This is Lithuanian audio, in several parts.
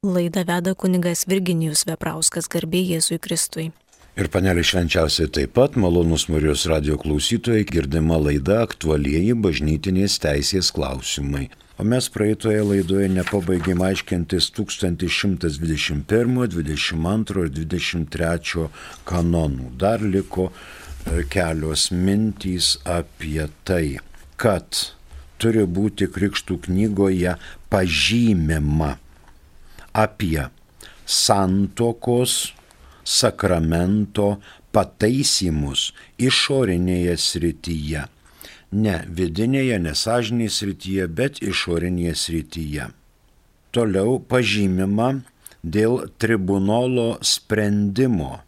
Laidą veda kunigas Virginijus Veprauskas, garbė Jėzui Kristui. Ir panelė švenčiausiai taip pat, malonus Marijos radijo klausytojai, girdima laida aktualieji bažnytinės teisės klausimai. O mes praeitoje laidoje nepabaigėm aiškintis 1121, 22 ir 23 kanonų. Dar liko kelios mintys apie tai, kad turi būti krikštų knygoje pažymima apie santuokos sakramento pataisymus išorinėje srityje. Ne vidinėje, nesąžinėje srityje, bet išorinėje srityje. Toliau pažymima dėl tribunolo sprendimo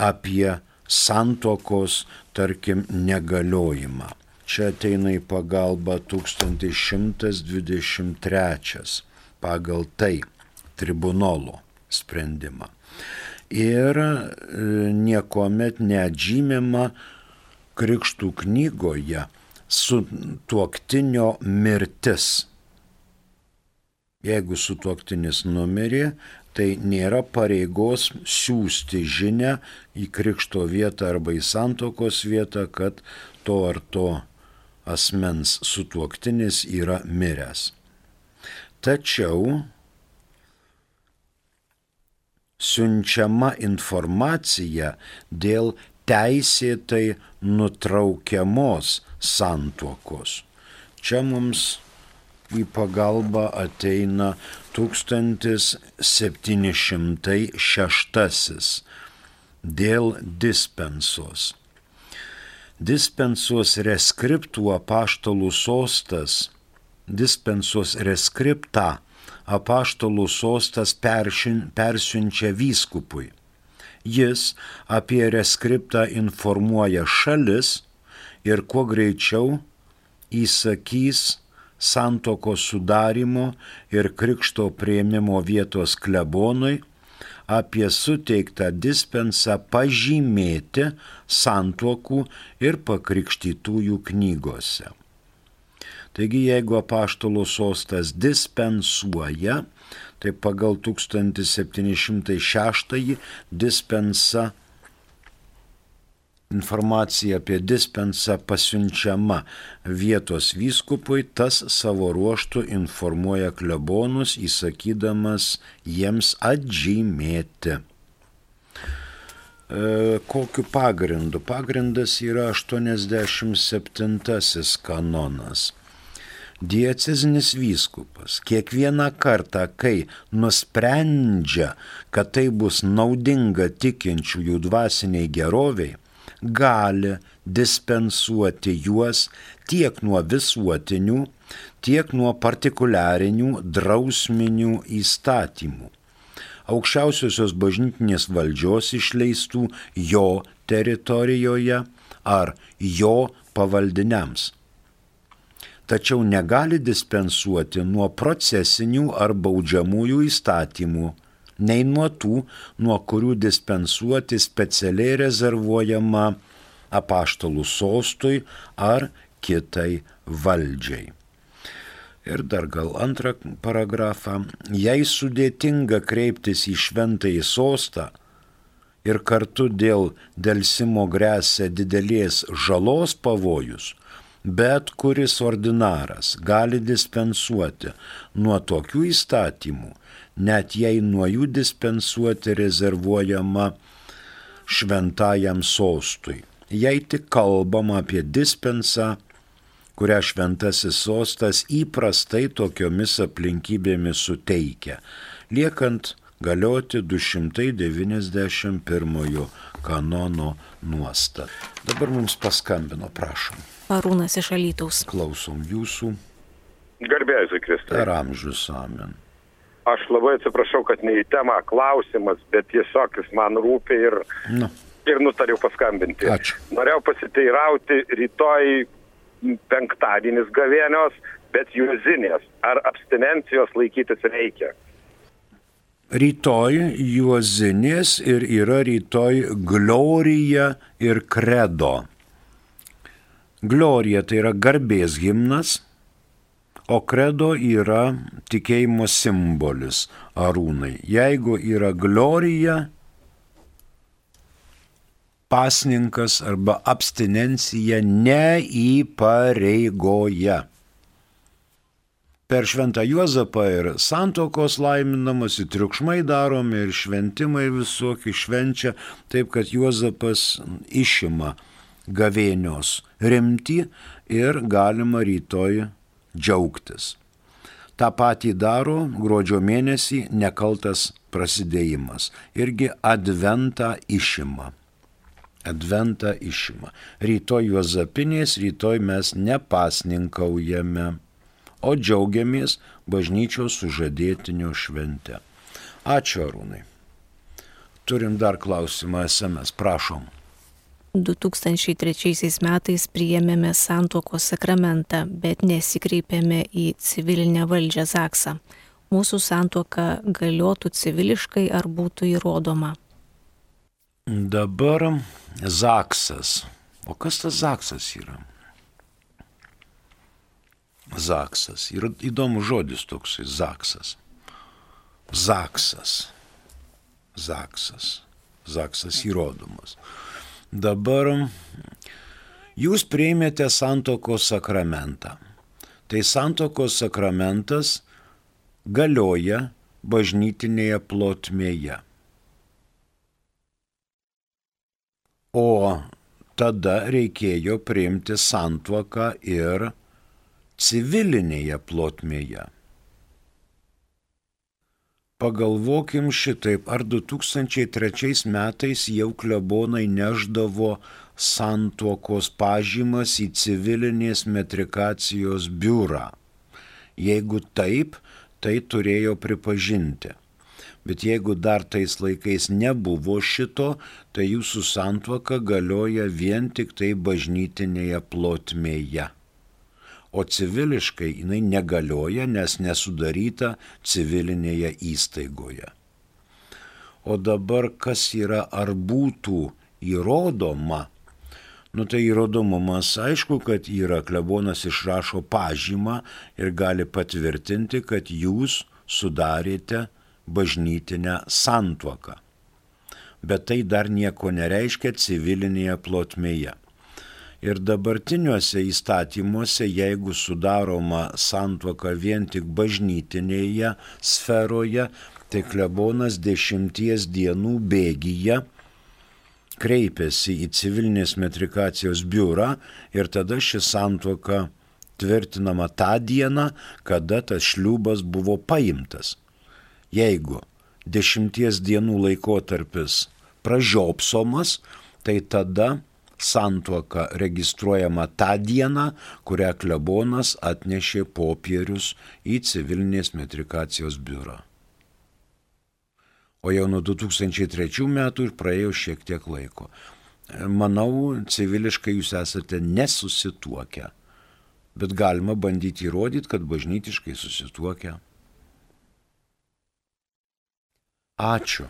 apie santuokos, tarkim, negaliojimą. Čia ateina į pagalbą 1123 pagal tai tribunolo sprendimą. Ir niekuomet neatžymima krikštų knygoje sutuoktinio mirtis. Jeigu sutuoktinis numirė, tai nėra pareigos siųsti žinią į krikšto vietą arba į santuokos vietą, kad to ar to asmens sutuoktinis yra miręs. Tačiau siunčiama informacija dėl teisėtai nutraukiamos santuokos. Čia mums į pagalbą ateina 1706 dėl dispensos. Dispensos reskriptų apaštalų sostas, dispensos reskriptą apaštalų sostas persiunčia vyskupui. Jis apie reskriptą informuoja šalis ir kuo greičiau įsakys santuokos sudarimo ir krikšto priėmimo vietos klebonui apie suteiktą dispensą pažymėti santuokų ir pakrikštytųjų knygose. Taigi, jeigu apaštalų sostas dispensuoja, tai pagal 1706 dispensa, informacija apie dispensą pasiunčiama vietos vyskupui, tas savo ruožtu informuoja klebonus, įsakydamas jiems atžymėti. Kokiu pagrindu? Pagrindas yra 87 kanonas. Diecezinis vyskupas kiekvieną kartą, kai nusprendžia, kad tai bus naudinga tikinčiųjų dvasiniai geroviai, gali dispensuoti juos tiek nuo visuotinių, tiek nuo partikuliarinių drausminių įstatymų, aukščiausiosios bažnytinės valdžios išleistų jo teritorijoje ar jo pavaldiniams. Tačiau negali dispensuoti nuo procesinių ar baudžiamųjų įstatymų, nei nuo tų, nuo kurių dispensuoti specialiai rezervuojama apaštalų sostui ar kitai valdžiai. Ir dar gal antrą paragrafą. Jei sudėtinga kreiptis į šventąjį sostą ir kartu dėl delsimo gresia didelės žalos pavojus, bet kuris ordinaras gali dispensuoti nuo tokių įstatymų, net jei nuo jų dispensuoti rezervuojama šventajam sostui. Jei tik kalbama apie dispensą, kurią šventasis sostas įprastai tokiomis aplinkybėmis suteikia, liekant galioti 291 kanono nuostata. Dabar mums paskambino, prašom. Arūnas iš Alytaus. Klausom jūsų. Garbė Jėzui Kristui. Per amžius, amen. Aš labai atsiprašau, kad ne į temą klausimas, bet tiesiog jis man rūpi ir nutariau paskambinti. Ačiū. Norėjau pasiteirauti, rytoj penktadienis gavėnios, bet juozinės. Ar abstinencijos laikytis reikia? Rytoj juozinės ir yra rytoj glorija ir kredo. Glorija tai yra garbės himnas, O kredo yra tikėjimo simbolis, Arūnai. Jeigu yra glorija, pasninkas arba abstinencija neįpareigoja. Per šventą Juozapą ir santuokos laiminamas, ir triukšmai daromi, ir šventimai visokie švenčia, taip kad Juozapas išima gavėnios rimtį ir galima rytoj džiaugtis. Ta patį daro gruodžio mėnesį nekaltas prasidėjimas. Irgi adventą išima. Adventą išima. Rytoj Juozapinės, rytoj mes nepasninkaujame, o džiaugiamės bažnyčios sužadėtinio švente. Ačiū, Arūnai. Turim dar klausimą SMS, prašom. 2003 metais priėmėme santuokos sakramentą, bet nesikreipėme į civilinę valdžią Zaksą. Mūsų santuoka galiotų civiliškai ar būtų įrodoma? Dabar Zaksas. O kas tas Zaksas yra? Zaksas. Yra įdomus žodis toksai, Zaksas. Zaksas. Zaksas. Zaksas įrodomas. Dabar jūs priėmėte santuokos sakramentą. Tai santuokos sakramentas galioja bažnytinėje plotmėje. O tada reikėjo priimti santuoką ir civilinėje plotmėje. Pagalvokim šitaip, ar 2003 metais jau klebonai neždavo santuokos pažymas į civilinės metrikacijos biurą. Jeigu taip, tai turėjo pripažinti. Bet jeigu dar tais laikais nebuvo šito, tai jūsų santuoka galioja vien tik tai bažnytinėje plotmėje. O civiliškai jinai negalioja, nes nesudaryta civilinėje įstaigoje. O dabar kas yra, ar būtų įrodoma? Tai įrodomumas aišku, kad yra, klebonas išrašo pažymą ir gali patvirtinti, kad jūs sudarėte bažnytinę santuoką. Bet tai dar nieko nereiškia civilinėje plotmėje. Ir dabartiniuose įstatymuose, jeigu sudaroma santuoka vien tik bažnytinėje sferoje, tai klebonas 10 dienų bėgyje kreipiasi į civilinės metrikacijos biurą ir tada ši santuoka tvirtinama tą dieną, kada tas šliubas buvo paimtas. Jeigu 10 dienų laikotarpis pražiopsomas, tai tada santuoka registruojama tą dieną, kurią klebonas atnešė popierius į civilinės metrikacijos biurą. O jau nuo 2003 metų ir praėjo šiek tiek laiko. Manau, civiliškai jūs esate nesusituokę, bet galima bandyti įrodyti, kad bažnytiškai susituokę. Ačiū.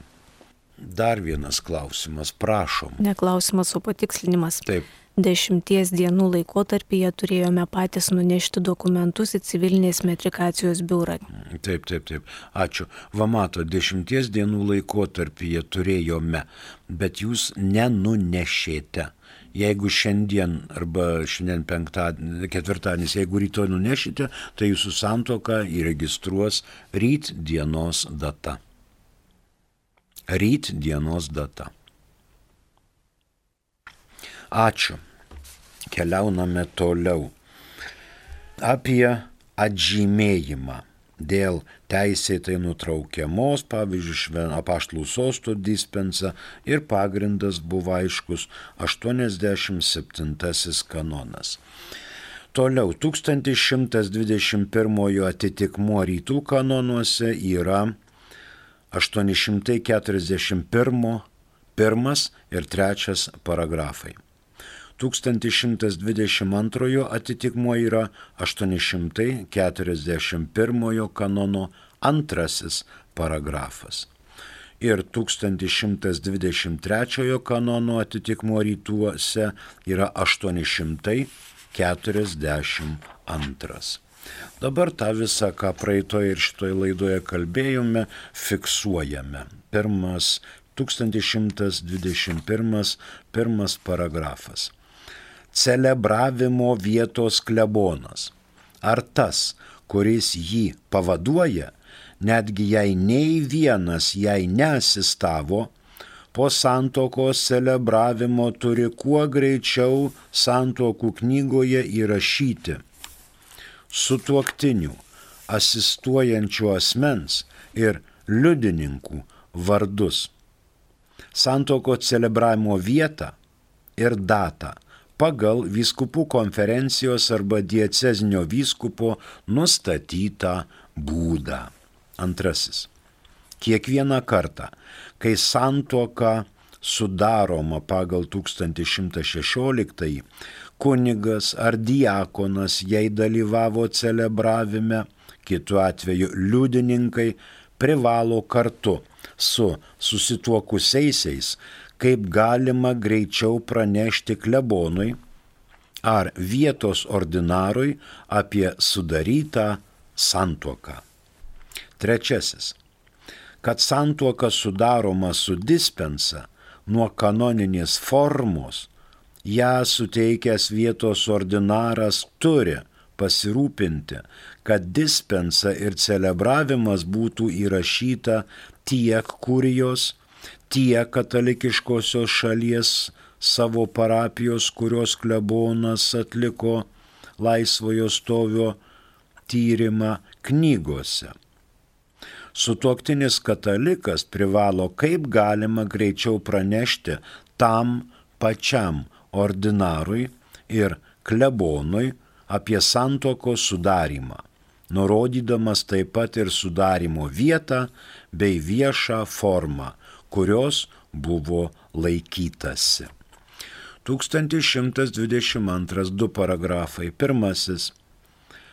Dar vienas klausimas, prašom. Ne klausimas, o patikslinimas. Taip. 10 dienų laikotarpyje turėjome patys nunešti dokumentus į civilinės metrikacijos biurą. Taip. Ačiū. Va mato, 10 dienų laikotarpyje turėjome, bet jūs nenunešėte. Jeigu šiandien arba šiandien ketvirtadienis, jeigu rytoj nunešite, tai jūsų santuoką įregistruos ryt dienos data. Ryt dienos data. Ačiū. Keliauname toliau. Apie atžymėjimą dėl teisėtai nutraukiamos, pavyzdžiui, apaštalų sosto dispensa ir pagrindas buvo aiškus 87 kanonas. Toliau, 1121 atitikmuo rytų kanonuose yra 841 ir 3 paragrafai. 1122 atitikmuo yra 841 kanono 2 paragrafas. Ir 1123 kanono atitikmuo rytuose yra 842. Dabar tą visą, ką praeitoje ir šitoje laidoje kalbėjome, fiksuojame. 1121 pirmas paragrafas. Celebravimo vietos klebonas. Ar tas, kuris jį pavaduoja, netgi jei nei vienas jai neasistavo, po santuokos celebravimo turi kuo greičiau santuokų knygoje įrašyti sutuoktinių, asistuojančių asmens ir liudininkų vardus, santuoko celebravimo vietą ir datą pagal vyskupų konferencijos arba diecezinio vyskupo nustatytą būdą. Antrasis. Kiekvieną kartą, kai santuoka sudaroma pagal 1116, kunigas ar diakonas jai dalyvavo celebravime, kitu atveju liudininkai privalo kartu su susituokusiaisiais kaip galima greičiau pranešti klebonui ar vietos ordinarui apie sudarytą santuoką. Trečiasis. Kad santuoka sudaroma su dispensa nuo kanoninės formos, ją suteikęs vietos ordinaras turi pasirūpinti, kad dispensa ir celebravimas būtų įrašyta tiek kurijos, tiek katalikiškosios šalies savo parapijos, kurios klebonas atliko laisvojo stovio tyrimą knygose. Sutuoktinis katalikas privalo kaip galima greičiau pranešti tam pačiam ordinarui ir klebonui apie santuokos sudarymą, nurodydamas taip pat ir sudarymo vietą bei viešą formą, kurios buvo laikytasi. 1122 2 paragrafai. Pirmasis.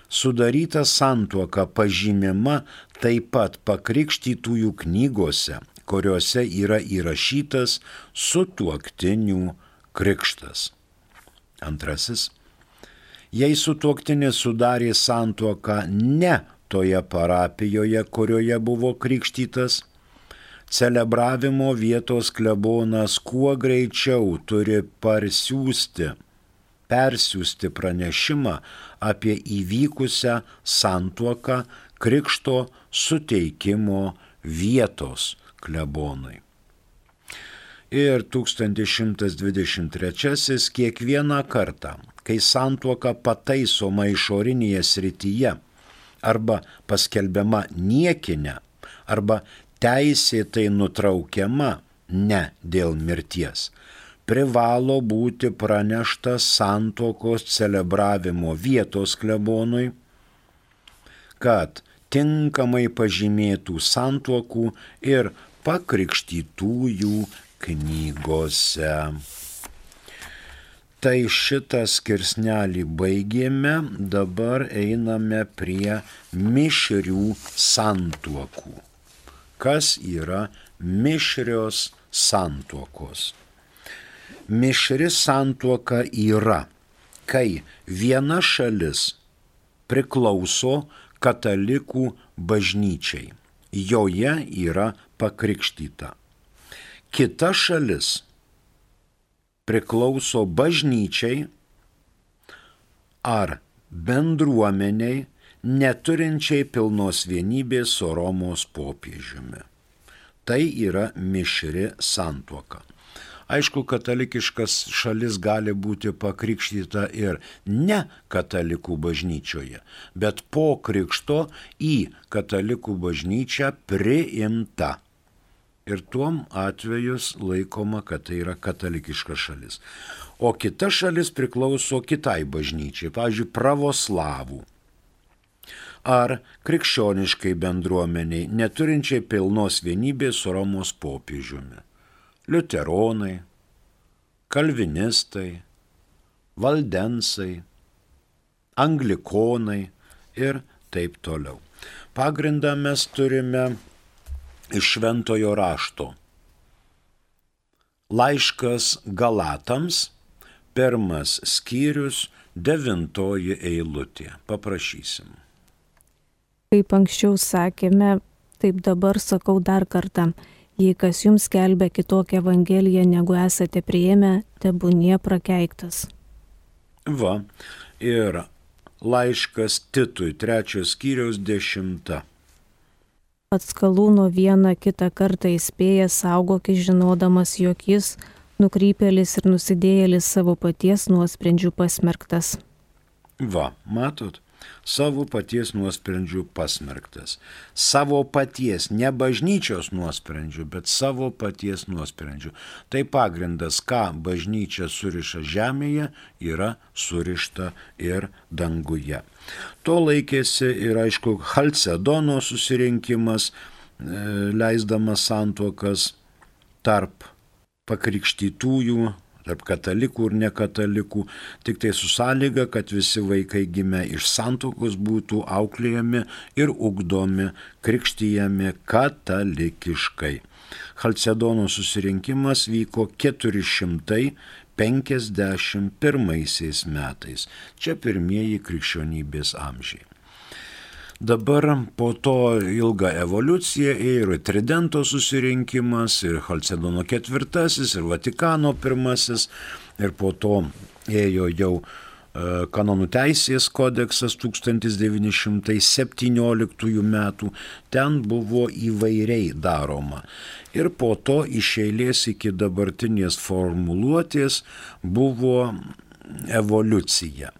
Sudaryta santuoka pažymima taip pat pakrikštytųjų knygose, kuriuose yra įrašytas sutuoktinių krikštas. Antrasis. Jei sutuoktinis sudarė santuoką ne toje parapijoje, kurioje buvo krikštytas, celebravimo vietos klebonas kuo greičiau turi persiųsti pranešimą apie įvykusią santuoką krikšto suteikimo vietos klebonui. Ir 1123 kiekvieną kartą, kai santuoka pataisoma išorinėje srityje arba paskelbiama niekinė arba teisėtai nutraukiama ne dėl mirties, privalo būti pranešta santuokos celebravimo vietos klebonui, kad tinkamai pažymėtų santuokų ir pakrikštytųjų knygose. Tai šitą skirsnelį baigėme, dabar einame prie mišrių santuokų. Kas yra mišrios santuokos? Mišri santuoka yra, kai viena šalis priklauso katalikų bažnyčiai, joje yra pakrikštyta. Kita šalis priklauso bažnyčiai ar bendruomeniai, neturinčiai pilnos vienybės su Romos popiežiumi. Tai yra mišri santuoka. Aišku, katalikiškas šalis gali būti pakrikštyta ir ne katalikų bažnyčioje, bet po krikšto į katalikų bažnyčią priimta. Ir tuom atvejus laikoma, kad tai yra katalikiška šalis. O kita šalis priklauso kitai bažnyčiai, pavyzdžiui, pravoslavų ar krikščioniškai bendruomeniai, neturinčiai pilnos vienybės su Romos popiežiumi. Liuteronai, kalvinistai, valdensai, anglikonai ir taip toliau. Pagrindą mes turime iš Šventojo rašto. Laiškas Galatams, 1 skyrius, 9 eilutė. Paprašysim. Kaip anksčiau sakėme, taip dabar sakau dar kartą. Jei kas jums skelbia kitokią evangeliją, negu esate priėmę, tebūnie prakeiktas. Va, ir laiškas Titui, 3 skyriaus 10. Pats Kalūno vieną kitą kartą įspėjęs, saugokis žinodamas, jog jis, nukrypėlis ir nusidėjėlis, savo paties nuosprendžių pasmerktas. Va, matot? Savo paties nuosprendžių pasmerktas. Savo paties, ne bažnyčios nuosprendžių, bet savo paties nuosprendžių. Tai pagrindas, ką bažnyčia suriša žemėje, yra surišta ir danguje. To laikėsi ir, aišku, Chalcedono susirinkimas, leisdamas santuokas tarp pakrikštytųjų, tarp katalikų ir nekatalikų, tik tai su sąlyga, kad visi vaikai gimę iš santuokos būtų auklėjami ir ugdomi, krikštyjami katalikiškai. Chalcedono susirinkimas vyko 451 metais. Čia pirmieji krikščionybės amžiai. Dabar po to ilgą evoliuciją ėjo ir Tridento susirinkimas, ir Chalcedono IV, ir Vatikano I, ir po to ėjo jau kanonų teisės kodeksas 1917 metų. Ten buvo įvairiai daroma. Ir po to iš eilės iki dabartinės formuluotės buvo evoliucija.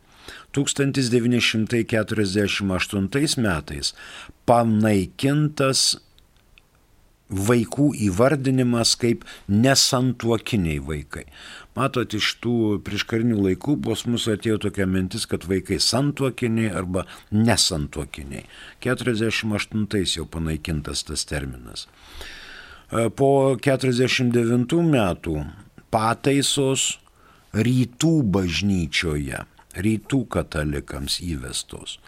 1948 metais panaikintas vaikų įvardinimas kaip nesantuokiniai vaikai. Matot, iš tų prieškarinių laikų pas mus atėjo tokia mintis, kad vaikai santuokiniai arba nesantuokiniai. 48 jau panaikintas tas terminas. Po 49 metų pataisos rytų bažnyčioje, rytų katalikams įvestos.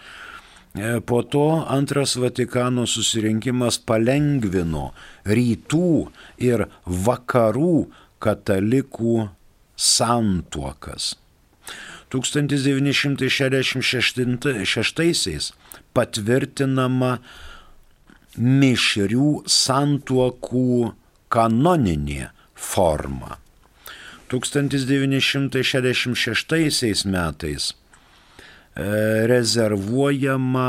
Po to antras Vatikano susirinkimas palengvino rytų ir vakarų katalikų santuokas. 1966 patvirtinama mišrių santuokų kanoninė forma. 1966 metais rezervuojama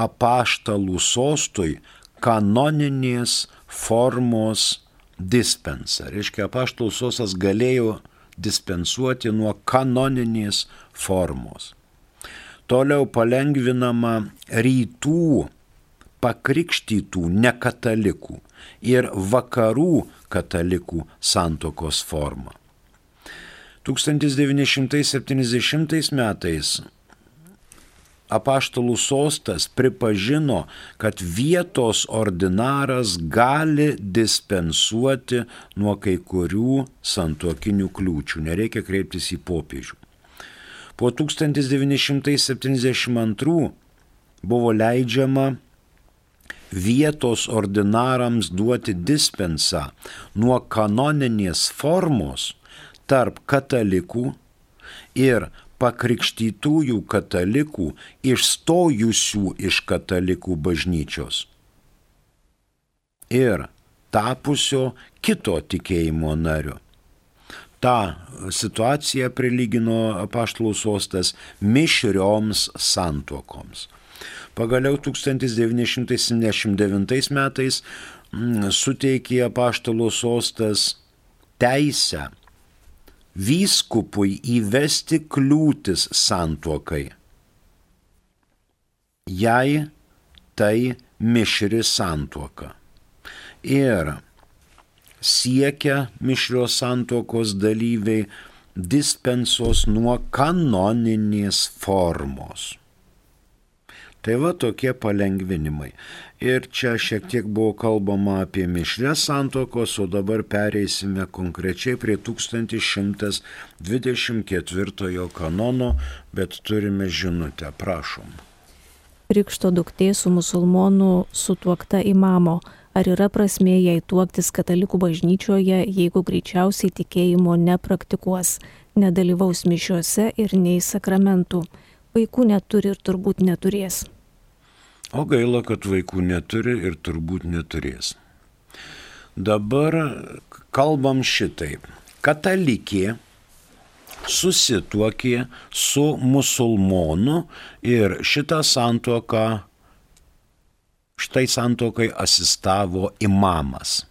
apaštalų sostui kanoninės formos dispensa. Reiškia, apaštalų sostas galėjo dispensuoti nuo kanoninės formos. Toliau palengvinama rytų pakrikštytų nekatalikų ir vakarų katalikų santuokos forma. 1970 metais apaštalų sostas pripažino, kad vietos ordinaras gali dispensuoti nuo kai kurių santuokinių kliūčių, nereikia kreiptis į popiežių. Po 1972 buvo leidžiama vietos ordinarams duoti dispensą nuo kanoninės formos tarp katalikų ir pakrikštytųjų katalikų išstojusių iš katalikų bažnyčios ir tapusio kito tikėjimo nariu. Ta situacija prilygino apaštalų sostas mišrioms santuokoms. Pagaliau 1979 metais suteikė apaštalų sostas teisę vyskupui įvesti kliūtis santuokai, jei tai mišri santuoka. Ir siekia mišrios santuokos dalyviai dispensos nuo kanoninės formos. Tai va tokie palengvinimai. Ir čia šiek tiek buvo kalbama apie mišrias santuokos, o dabar pereisime konkrečiai prie 1124 kanono, bet turime žinutę, prašom. Krikšto duktė su musulmonų sutuokta imamo. Ar yra prasmė jai tuoktis katalikų bažnyčioje, jeigu greičiausiai tikėjimo nepraktikuos, nedalyvaus mišiuose ir nei sakramentų? Vaikų neturi ir turbūt neturės. O gaila, kad vaikų neturi ir turbūt neturės. Dabar kalbam šitaip. Katalikė susituokė su musulmonu ir šitą santuoką, štai santuokai asistavo imamas.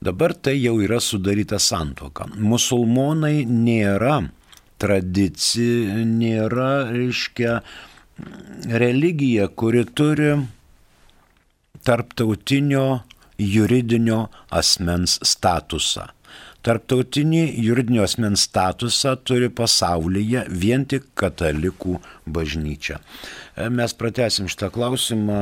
Dabar tai jau yra sudaryta santuoka. Musulmonai nėra tradicija, nėra, reiškia, religija, kuri turi tarptautinio juridinio asmens statusą. Tarptautinį juridinio asmens statusą turi pasaulyje vien tik katalikų bažnyčia. Mes pratęsim šitą klausimą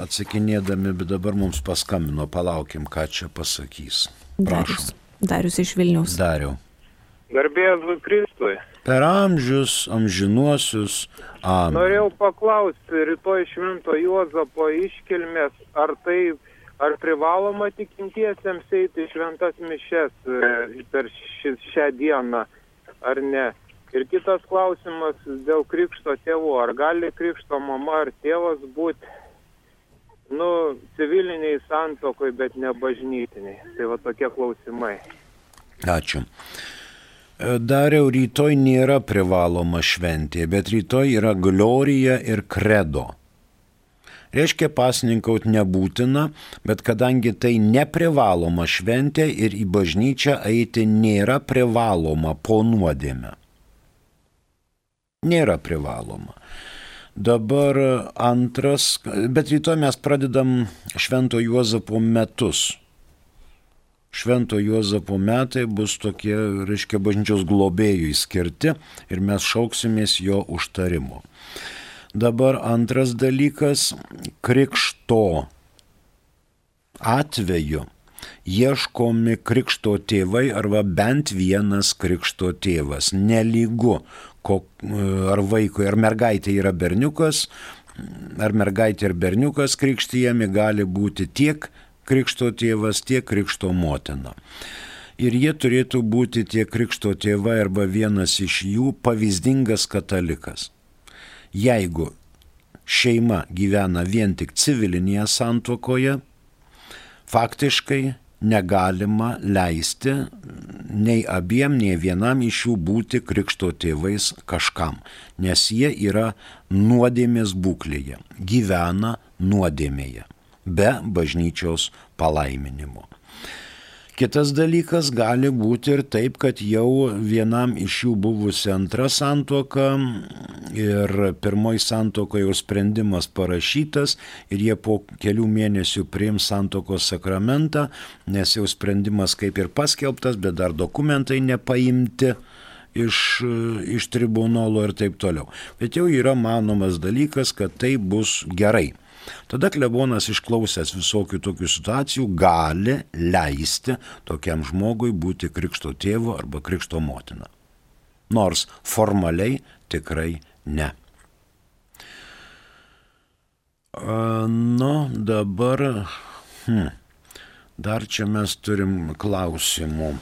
atsakinėdami, bet dabar mums paskambino, palaukim, ką čia pasakys. Prašom. Darius iš Vilniaus. Dariau. Garbė Jėzui Kristui. Per amžius, amžinuosius. Amen. Norėjau paklausti, rytoj Švento Juozapo iškilmės, ar privaloma tikintiesiems eiti šventas mišes per šią dieną, ar ne? Ir kitas klausimas dėl krikšto tėvų. Ar gali krikšto mama ar tėvas būti, civiliniai santuokoj, bet ne bažnytiniai? Tai va tokie klausimai. Ačiū. Dariau, rytoj nėra privaloma šventė, bet rytoj yra glorija ir kredo. Reiškia, pasninkauti nebūtina, bet kadangi tai neprivaloma šventė ir į bažnyčią eiti nėra privaloma po nuodėmę. Nėra privaloma. Dabar antras, bet rytoj mes pradedam Švento Juozapo metus. Švento Juozapo metai bus tokie, reiškia, bažnyčios globėjui skirti ir mes šauksimės jo užtarimo. Dabar antras dalykas, krikšto atveju ieškomi krikšto tėvai arba bent vienas krikšto tėvas. Nelygu, ar vaikui, ar mergaitė yra berniukas, ar mergaitė ir berniukas krikštijami, gali būti tiek krikšto tėvas, tiek krikšto motina. Ir jie turėtų būti tie krikšto tėvai arba vienas iš jų pavyzdingas katalikas. Jeigu šeima gyvena vien tik civilinėje santuokoje, faktiškai negalima leisti nei abiem, nei vienam iš jų būti krikšto tėvais kažkam, nes jie yra nuodėmės būklėje, gyvena nuodėmėje, be bažnyčios palaiminimo. Kitas dalykas gali būti ir taip, kad jau vienam iš jų buvusi antra santuoka ir pirmoji santuoka jau sprendimas parašytas ir jie po kelių mėnesių priims santuokos sakramentą, nes jau sprendimas kaip ir paskelbtas, bet dar dokumentai nepaimti iš tribunolo ir taip toliau. Bet jau yra manomas dalykas, kad tai bus gerai. Tada klebonas išklausęs visokių tokių situacijų gali leisti tokiam žmogui būti krikšto tėvu arba krikšto motina. Nors formaliai tikrai ne. Dabar dar čia mes turim klausimų.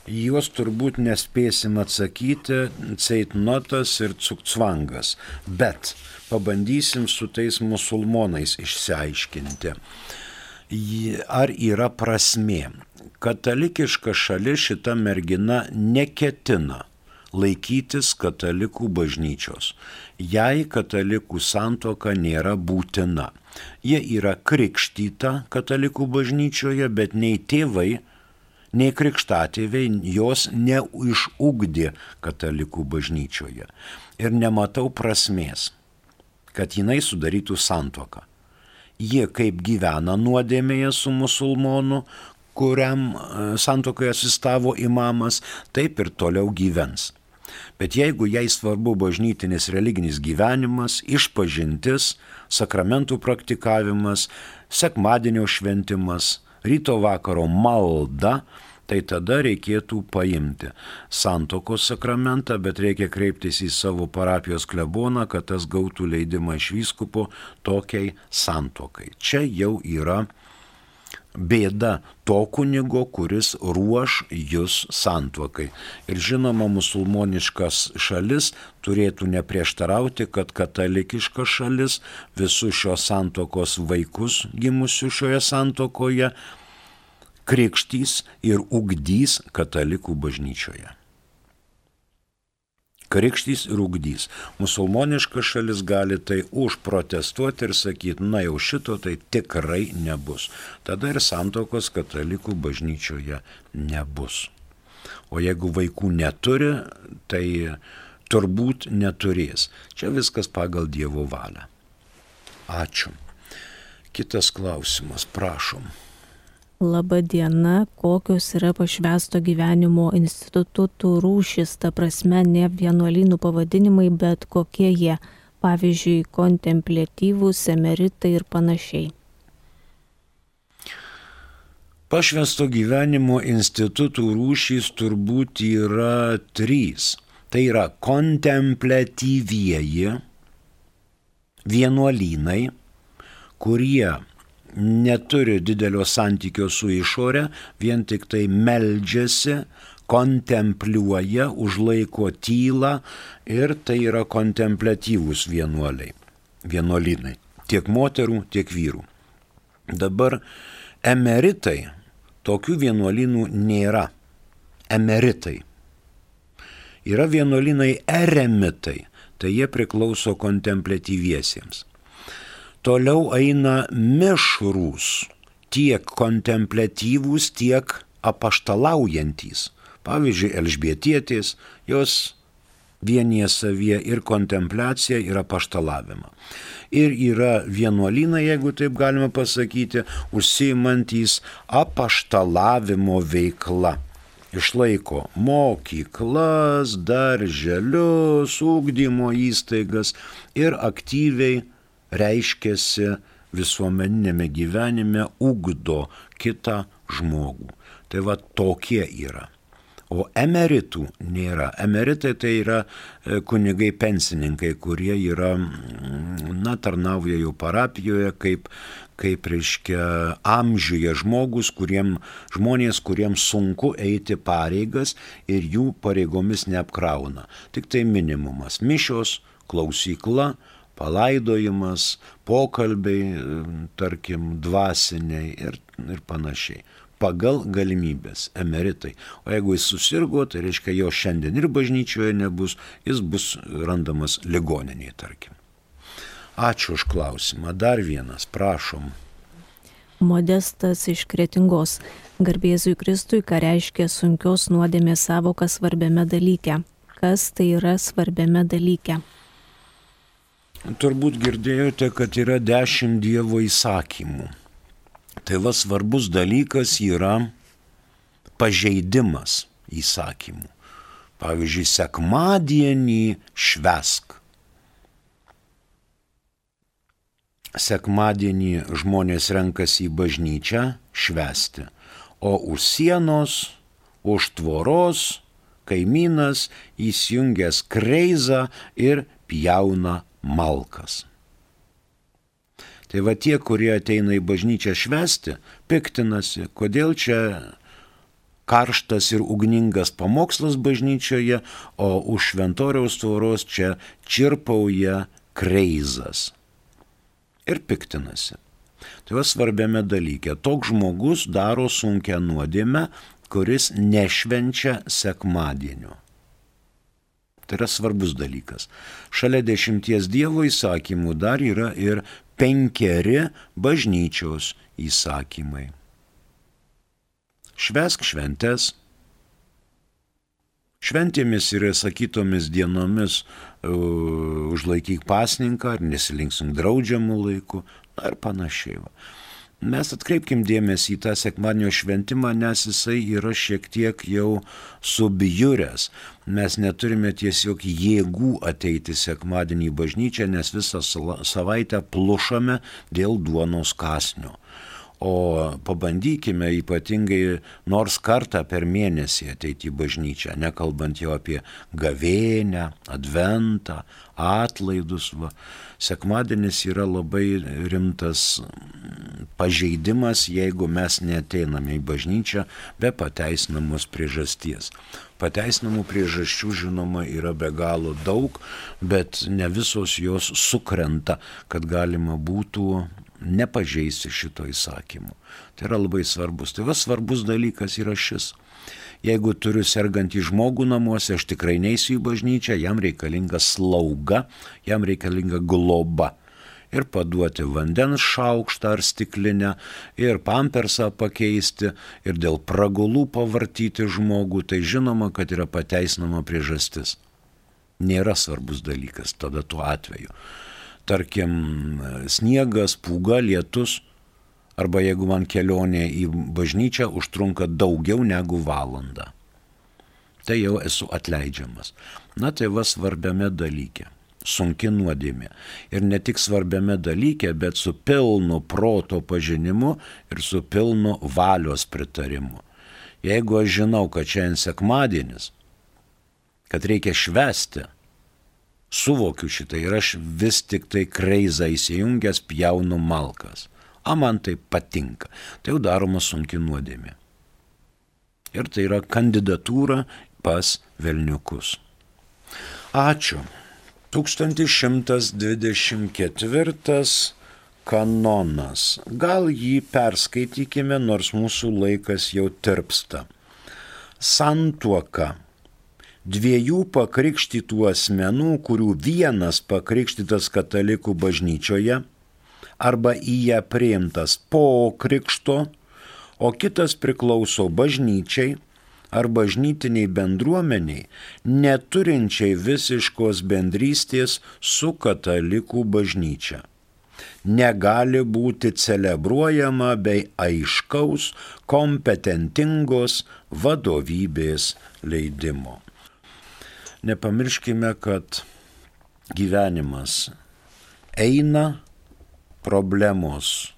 Juos turbūt nespėsim atsakyti, ceitnotas ir cukcvangas, bet pabandysim su tais musulmonais išsiaiškinti, ar yra prasmė. Katalikiška šalis šita mergina neketina laikytis katalikų bažnyčios. Jai katalikų santuoka nėra būtina. Jie yra krikštyta katalikų bažnyčioje, bet nei tėvai, nei krikštatėviai jos neišugdė katalikų bažnyčioje. Ir nematau prasmės, kad jinai sudarytų santuoką. Jie kaip gyvena nuodėmėje su musulmonu, kuriam santuokoje asistavo imamas, taip ir toliau gyvens. Bet jeigu jai svarbu bažnytinis religinis gyvenimas, išpažintis, sakramentų praktikavimas, sekmadienio šventimas, ryto vakaro malda, tai tada reikėtų paimti santuokos sakramentą, bet reikia kreiptis į savo parapijos kleboną, kad tas gautų leidimą iš vyskupo tokiai santuokai. Čia jau yra bėda to kunigo, kuris ruoš jūs santuokai. Ir žinoma, musulmoniškas šalis turėtų neprieštarauti, kad katalikiška šalis visus šios santuokos vaikus gimusių šioje santuokoje krikštys ir ugdys katalikų bažnyčioje. Krikštys ir ugdys. Musulmoniška šalis gali tai užprotestuoti ir sakyti, na jau šito tai tikrai nebus. Tada ir santuokos katalikų bažnyčioje nebus. O jeigu vaikų neturi, tai turbūt neturės. Čia viskas pagal Dievo valią. Ačiū. Kitas klausimas, prašom. Labą dieną, kokios yra pašvęsto gyvenimo institutų rūšis, ta prasme ne vienuolynų pavadinimai, bet kokie jie, pavyzdžiui, kontempliatyvūs, emeritai ir panašiai. Pašvęsto gyvenimo institutų rūšys turbūt yra 3. Tai yra kontempliatyvieji vienuolynai, kurie neturi didelio santykio su išore, vien tik tai meldžiasi, kontempliuoja, užlaiko tylą ir tai yra kontempliatyvūs vienuolynai, tiek moterų, tiek vyrų. Dabar emeritai, tokių vienuolynų nėra. Emeritai. Yra vienuolynai eremitai, tai jie priklauso kontempliatyviesiems. Toliau eina mišrūs, tiek kontempliatyvūs, tiek apaštalaujantys. Pavyzdžiui, Elžbietietės, jos vienyje savyje ir kontempliaciją, ir apaštalavimą. Ir yra vienuolynai, jeigu taip galima pasakyti, užsiimantys apaštalavimo veikla. Išlaiko mokyklas, darželius, ugdymo įstaigas ir aktyviai reiškiasi visuomeninėme gyvenime, ugdo kitą žmogų. Tai va tokie yra. O emeritų nėra. Emeritai tai yra kunigai pensininkai, kurie yra, tarnauja jau parapijoje, kaip reiškia amžiuje žmonės, kuriems sunku eiti pareigas ir jų pareigomis neapkrauna. Tik tai minimumas. Mišios, klausykla, palaidojimas, pokalbiai, tarkim, dvasiniai ir panašiai. Pagal galimybės, emeritai. O jeigu jis susirgo, tai reiškia, jo šiandien ir bažnyčioje nebus, jis bus randamas ligoninėje, tarkim. Ačiū už klausimą. Dar vienas, prašom. Modestas iš Kretingos. Garbėzui Kristui, ką reiškia sunkios nuodėmės savoka svarbiame dalyke. Kas tai yra svarbiame dalyke? Turbūt girdėjote, kad yra 10 Dievo įsakymų. Tai va svarbus dalykas yra pažeidimas įsakymų. Pavyzdžiui, sekmadienį švęsk. Sekmadienį žmonės renkasi į bažnyčią švęsti, o už sienos, už tvoros kaimynas įsijungęs kreizą ir pjauna malkas. Tai va tie, kurie ateina į bažnyčią švęsti, piktinasi, kodėl čia karštas ir ugningas pamokslas bažnyčioje, o už šventoriaus tvoros čia čirpauja kreizas. Ir piktinasi. Tai va svarbiame dalyke. Toks žmogus daro sunkią nuodėmę, kuris nešvenčia sekmadienio. Tai yra svarbus dalykas. Šalia 10 Dievo įsakymų dar yra ir 5 bažnyčios įsakymai. Švęsk šventes. Šventėmis ir sakytomis dienomis užlaikyk pasninką, ar nesilinksink draudžiamų laikų, ar panašiai. Mes atkreipkim dėmesį į tą sekmadienio šventimą, nes jisai yra šiek tiek jau subjuręs. Mes neturime tiesiog jėgų ateiti sekmadienį į bažnyčią, nes visą savaitę plušame dėl duonos kąsnio. O pabandykime ypatingai nors kartą per mėnesį ateiti į bažnyčią, nekalbant jau apie gavėnią, adventą, atlaidus. Sekmadienis yra labai rimtas pažeidimas, jeigu mes neateiname į bažnyčią be pateisinamos priežasties. Pateisinamų priežasčių, žinoma, yra be galo daug, bet ne visos jos sukrenta, kad galima būtų nepažeisti šito įsakymu. Tai yra labai svarbus. Tai svarbus dalykas yra šis. Jeigu turiu sergantį žmogų namuose, aš tikrai neisiu į bažnyčią, jam reikalinga slauga, jam reikalinga globa. Ir paduoti vandens šaukštą ar stiklinę, ir pampersą pakeisti, ir dėl pragulų pavartyti žmogų, tai žinoma, kad yra pateisinama priežastis. Nėra svarbus dalykas tada tuo atveju. Tarkim, sniegas, pūga, lietus, arba jeigu man kelionė į bažnyčią užtrunka daugiau negu valandą. Tai jau esu atleidžiamas. Na tai svarbiame dalyke. Sunki nuodėmė. Ir ne tik svarbiame dalyke, bet su pilnu proto pažinimu ir su pilnu valios pritarimu. Jeigu aš žinau, kad šiandien sekmadienis, kad reikia švęsti, suvokiu šitą ir aš vis tik tai kreizą įsijungęs pjaunu malkas. Man tai patinka. Tai jau daroma sunki nuodėmė. Ir tai yra kandidatūra pas velniukus. Ačiū. 1124 kanonas. Gal jį perskaitykime, nors mūsų laikas jau tirpsta. Santuoka. Dviejų pakrikštytų asmenų, kurių vienas pakrikštytas katalikų bažnyčioje, arba į ją priimtas po krikšto, o kitas priklauso bažnyčiai ar bažnytiniai bendruomeniai, neturinčiai visiškos bendrystės su katalikų bažnyčia. Negali būti celebruojama bei aiškaus, kompetentingos vadovybės leidimo. Nepamirškime, kad gyvenimas eina, problemos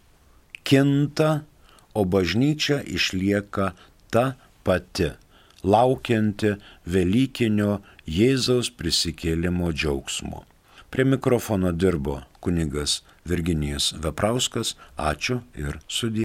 kinta, o bažnyčia išlieka ta pati, laukianti velykinio Jėzaus prisikėlimo džiaugsmo. Prie mikrofono dirbo kunigas Virginijus Veprauskas. Ačiū ir sudie.